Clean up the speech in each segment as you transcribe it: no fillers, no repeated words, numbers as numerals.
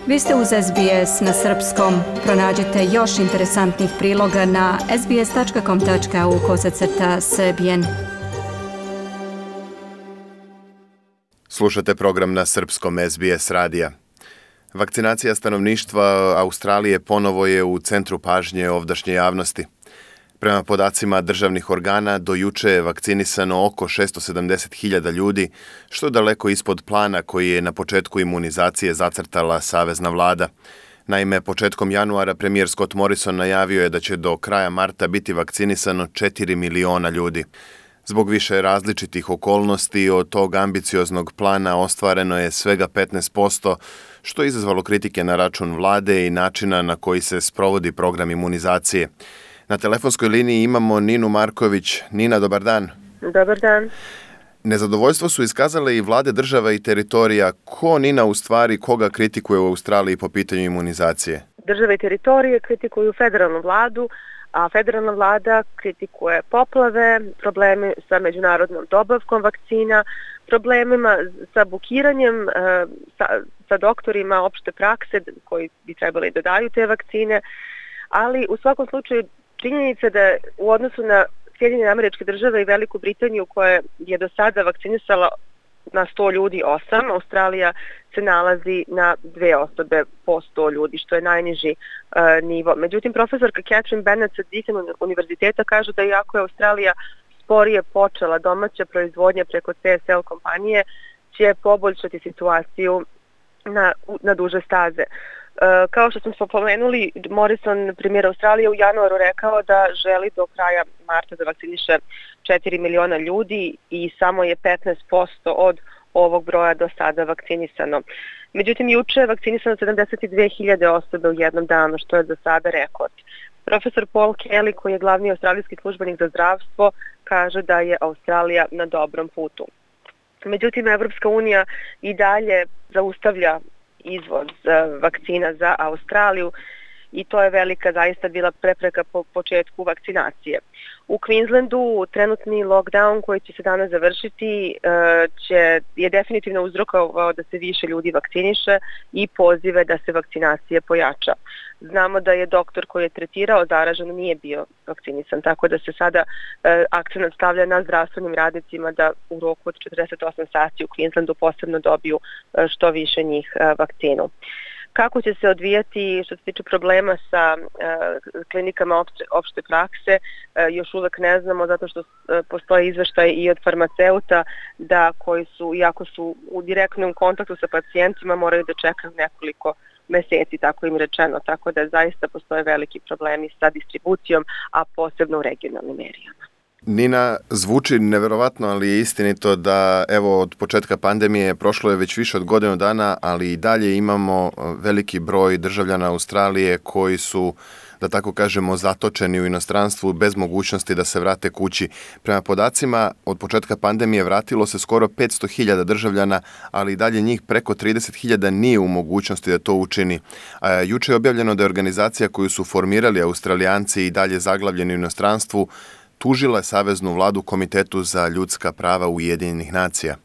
Vi ste uz SBS na srpskom. Pronađite još interesantnih priloga na sbs.com.au/srbijen. Slušate program na srpskom SBS radija. Vakcinacija stanovništva Australije ponovo je u centru pažnje ovdašnje javnosti. Prema podacima državnih organa, do juče je vakcinisano oko 670.000 ljudi, što je daleko ispod plana koji je na početku imunizacije zacrtala savezna vlada. Naime, početkom januara premijer Scott Morrison najavio je da će do kraja marta biti vakcinisano 4 miliona ljudi. Zbog više različitih okolnosti od tog ambicioznog plana ostvareno je svega 15%, što je izazvalo kritike na račun vlade i načina na koji se sprovodi program imunizacije. Na telefonskoj liniji imamo Ninu Marković. Nina, dobar dan. Dobar dan. Nezadovoljstvo su iskazale i vlade država i teritorija. Ko, Nina, u stvari koga kritikuje u Australiji po pitanju imunizacije? Države i teritorije kritikuju federalnu vladu, a federalna vlada kritikuje poplave, probleme sa međunarodnom dobavkom vakcina, problemima sa bukiranjem, sa doktorima opšte prakse koji bi trebali da daju te vakcine, ali u svakom slučaju činjenica da u odnosu na Sjedinjene Američke Države i Veliku Britaniju koja je do sada vakcinisala na 100 ljudi 8, Australija se nalazi na 2 osobe po 100 ljudi, što je najniži nivo. Međutim, profesorka Catherine Bennett sa Deakin univerziteta kaže da iako je Australija sporije počela domaća proizvodnja preko CSL kompanije, će poboljšati situaciju na duže staze. Kao što smo pomenuli, Morrison, premijer Australije, u januaru rekao da želi do kraja marta da vakciniše 4 miliona ljudi i samo je 15% od ovog broja do sada vakcinisano. Međutim, juče je vakcinisano 72.000 osobe u jednom danu, što je do sada rekord. Profesor Paul Kelly, koji je glavni australijski službenik za zdravstvo, kaže da je Australija na dobrom putu. Međutim, Evropska unija i dalje zaustavlja izvoz vakcina za Australiju i to je velika zaista bila prepreka po početku vakcinacije. U Queenslandu trenutni lockdown koji će se danas završiti je definitivno uzrokovao da se više ljudi vakciniše i pozive da se vakcinacija pojača. Znamo da je doktor koji je tretirao zaraženo nije bio vakcinisan, tako da se sada akcent stavlja na zdravstvenim radnicima da u roku od 48 sati u Queenslandu posebno dobiju što više njih vakcinu. Kako će se odvijati što se tiče problema sa klinikama opšte prakse, još uvek ne znamo, zato što postoje izveštaj i od farmaceuta da koji su, iako su u direktnom kontaktu sa pacijentima, moraju da čekaju nekoliko meseci, tako im rečeno, tako da zaista postoje veliki problemi sa distribucijom, a posebno u regionalnim merijama. Nina, zvuči neverovatno, ali je istinito da evo od početka pandemije prošlo je već više od godinu dana, ali i dalje imamo veliki broj državljana Australije koji su, da tako kažemo, zatočeni u inostranstvu bez mogućnosti da se vrate kući. Prema podacima, od početka pandemije vratilo se skoro 500.000 državljana, ali i dalje njih preko 30.000 nije u mogućnosti da to učini. Juče je objavljeno da je organizacija koju su formirali Australijanci i dalje zaglavljeni u inostranstvu tužila je saveznu vladu Komitetu za ljudska prava Ujedinjenih nacija.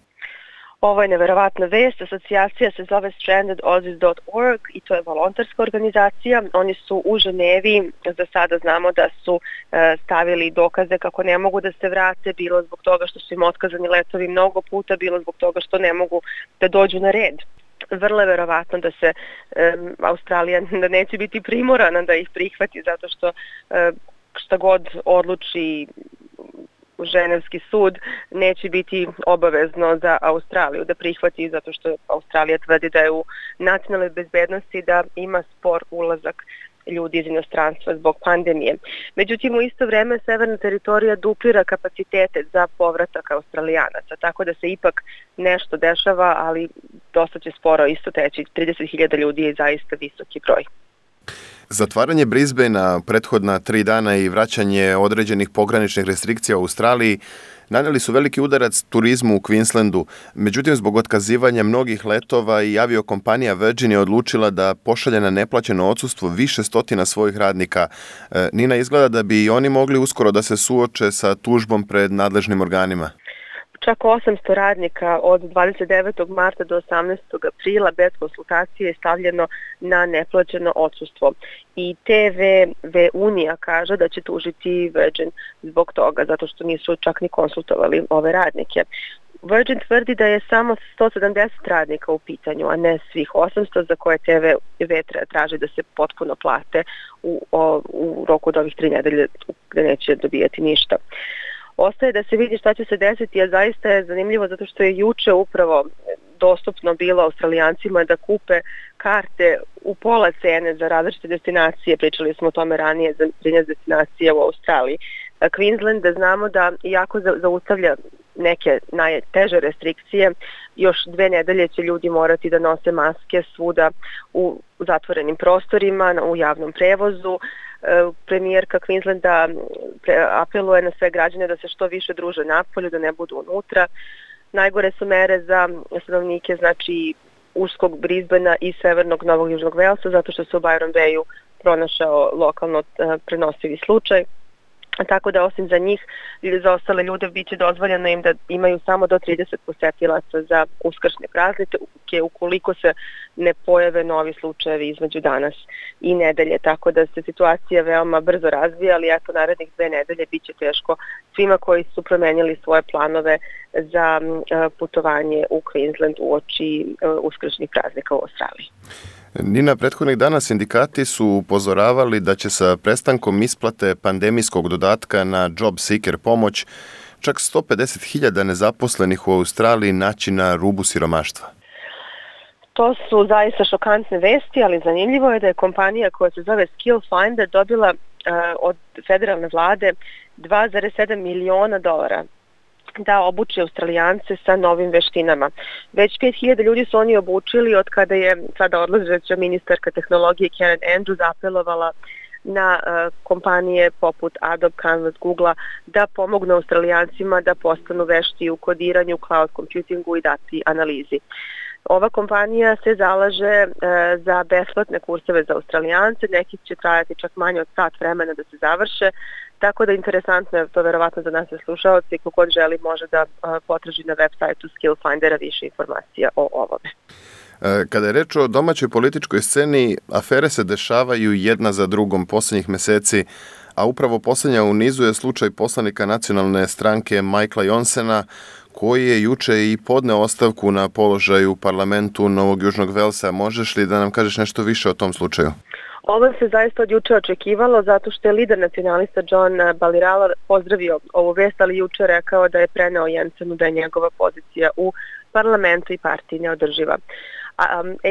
Ovo je neverovatna vest. Asocijacija se zove strandedaussies.org i to je volonterska organizacija. Oni su u Ženevi, za sada znamo da su stavili dokaze kako ne mogu da se vrate, bilo zbog toga što su im otkazani letovi mnogo puta, bilo zbog toga što ne mogu da dođu na red. Vrlo je verovatno da se Australija da neće biti primorana da ih prihvati, zato što šta god odluči Ženevski sud neće biti obavezno za Australiju da prihvati, zato što Australija tvrdi da je u nacionalnoj bezbednosti da ima spor ulazak ljudi iz inostranstva zbog pandemije. Međutim, u isto vreme severna teritorija duplira kapacitete za povratak Australijanaca, tako da se ipak nešto dešava, ali dosta će sporo isto teći. 30.000 ljudi je zaista visoki broj. Zatvaranje Brisbanea prethodna 3 dana i vraćanje određenih pograničnih restrikcija u Australiji naneli su veliki udarac turizmu u Queenslandu. Međutim, zbog otkazivanja mnogih letova i aviokompanija Virgin je odlučila da pošalje na neplaćeno odsustvo više stotina svojih radnika. Nina, izgleda da bi i oni mogli uskoro da se suoče sa tužbom pred nadležnim organima. čak 800 radnika od 29. marta do 18. aprila bez konsultacije je stavljeno na neplaćeno odsustvo. I TV Unija kaže da će tužiti Virgin zbog toga, zato što nisu čak ni konsultovali ove radnike. Virgin tvrdi da je samo 170 radnika u pitanju, a ne svih 800 za koje TV traži da se potpuno plate u roku od ovih 3 nedelje gde neće dobijati ništa. Ostaje da se vidi šta će se desiti, a zaista je zanimljivo zato što je juče upravo dostupno bilo Australijancima da kupe karte u pola cene za različite destinacije. Pričali smo o tome ranije za 13 destinacije u Australiji. Queensland, da znamo da iako zaustavlja neke najteže restrikcije, još 2 nedelje će ljudi morati da nose maske svuda u zatvorenim prostorima, u javnom prevozu. Premijerka Queenslanda apeluje na sve građane da se što više druže napolju, da ne budu unutra. Najgore su mere za stanovnike, znači Uskog Brisbanea i severnog Novog Južnog Velsa, zato što se u Byron Bayu pronašao lokalno prenosivi slučaj. Tako da osim za njih, za ostale ljude biće dozvoljeno im da imaju samo do 30 posetilaca za uskršnje praznike ukoliko se ne pojave novi slučajevi između danas i nedelje. Tako da se situacija veoma brzo razvija, ali eto narednih 2 nedelje biće teško svima koji su promenili svoje planove za putovanje u Queensland uoči uskršnjih praznika u Australiji. Nina, prethodnih dana sindikati su upozoravali da će sa prestankom isplate pandemijskog dodatka na Job Seeker pomoć čak 150.000 nezaposlenih u Australiji naći na rubu siromaštva. To su zaista šokantne vesti, ali zanimljivo je da je kompanija koja se zove Skill Finder dobila od federalne vlade $2,7 miliona da obuče Australijance sa novim veštinama. Već 5.000 ljudi su oni obučili od kada je sada odlazeća ministarka tehnologije Karen Andrews apelovala na kompanije poput Adobe, Canvas, Googlea da pomognu Australijancima da postanu vešti u kodiranju, cloud computingu i dati analizi. Ova kompanija se zalaže za besplatne kurseve za Australijance, neki će trajati čak manje od sat vremena da se završe, tako da interesantno je to verovatno za nas slušaoci, kogod želi može da potraži na web sajtu Skill Findera više informacija o ovome. Kada je reč o domaćoj političkoj sceni, afere se dešavaju jedna za drugom posljednjih meseci, a upravo posljednja u nizu je slučaj poslanika nacionalne stranke Michaela Johnsona, koji je juče i podneo ostavku na položaju u parlamentu Novog Južnog Velsa. Možeš li da nam kažeš nešto više o tom slučaju? Ovo se zaista od juče očekivalo zato što je lider nacionalista John Balirala pozdravio ovu vest, ali juče rekao da je preneo Jensenu da je njegova pozicija u parlamentu i partiji neodrživa.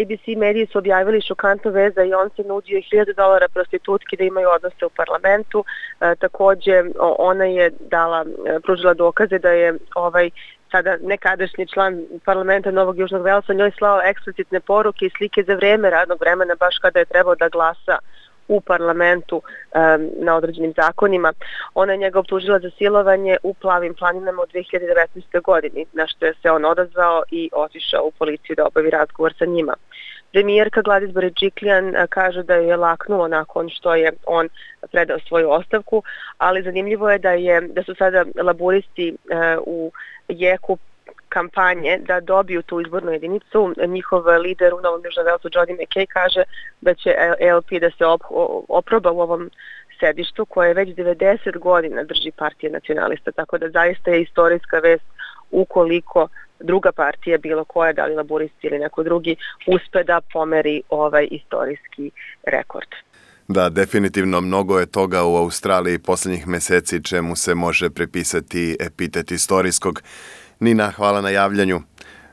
ABC mediji su objavili šokantnu vest da je on se nudio $1.000 prostitutki da imaju odnose u parlamentu. Takođe, ona je pružila dokaze da je sada nekadašnji član parlamenta Novog Južnog Velsa njoj slao eksplicitne poruke i slike za vreme radnog vremena, baš kada je trebao da glasa u parlamentu na određenim zakonima. Ona je njega optužila za silovanje u Plavim planinama u 2019. godini, na što je se on odazvao i otišao u policiju da obavi razgovor sa njima. Premijerka Gladys Berejiklian kaže da je laknulo nakon što je on predao svoju ostavku, ali zanimljivo je da su sada laburisti u jeku kampanje da dobiju tu izbornu jedinicu. Njihov lider u Novom Južnom Velsu, Jody McKay, kaže da će ALP da se oproba u ovom sedištu koje već 90 godina drži partija nacionalista, tako da zaista je istorijska vest ukoliko druga partija, bilo koja, da li laburisti ili neko drugi, uspe da pomeri ovaj istorijski rekord. Da, definitivno mnogo je toga u Australiji posljednjih meseci čemu se može prepisati epitet istorijskog. Nina, hvala na javljanju.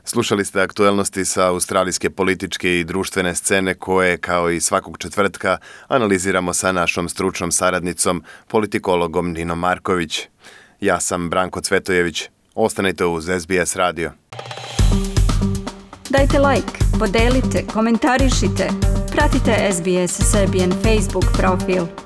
Slušali ste aktuelnosti sa australijske političke i društvene scene koje, kao i svakog četvrtka, analiziramo sa našom stručnom saradnicom, politikologom Ninom Marković. Ja sam Branko Cvetojević. Ostanite uz SBS radio. Dajte like, podelite, komentarišite. Pratite SBS Serbian Facebook profil.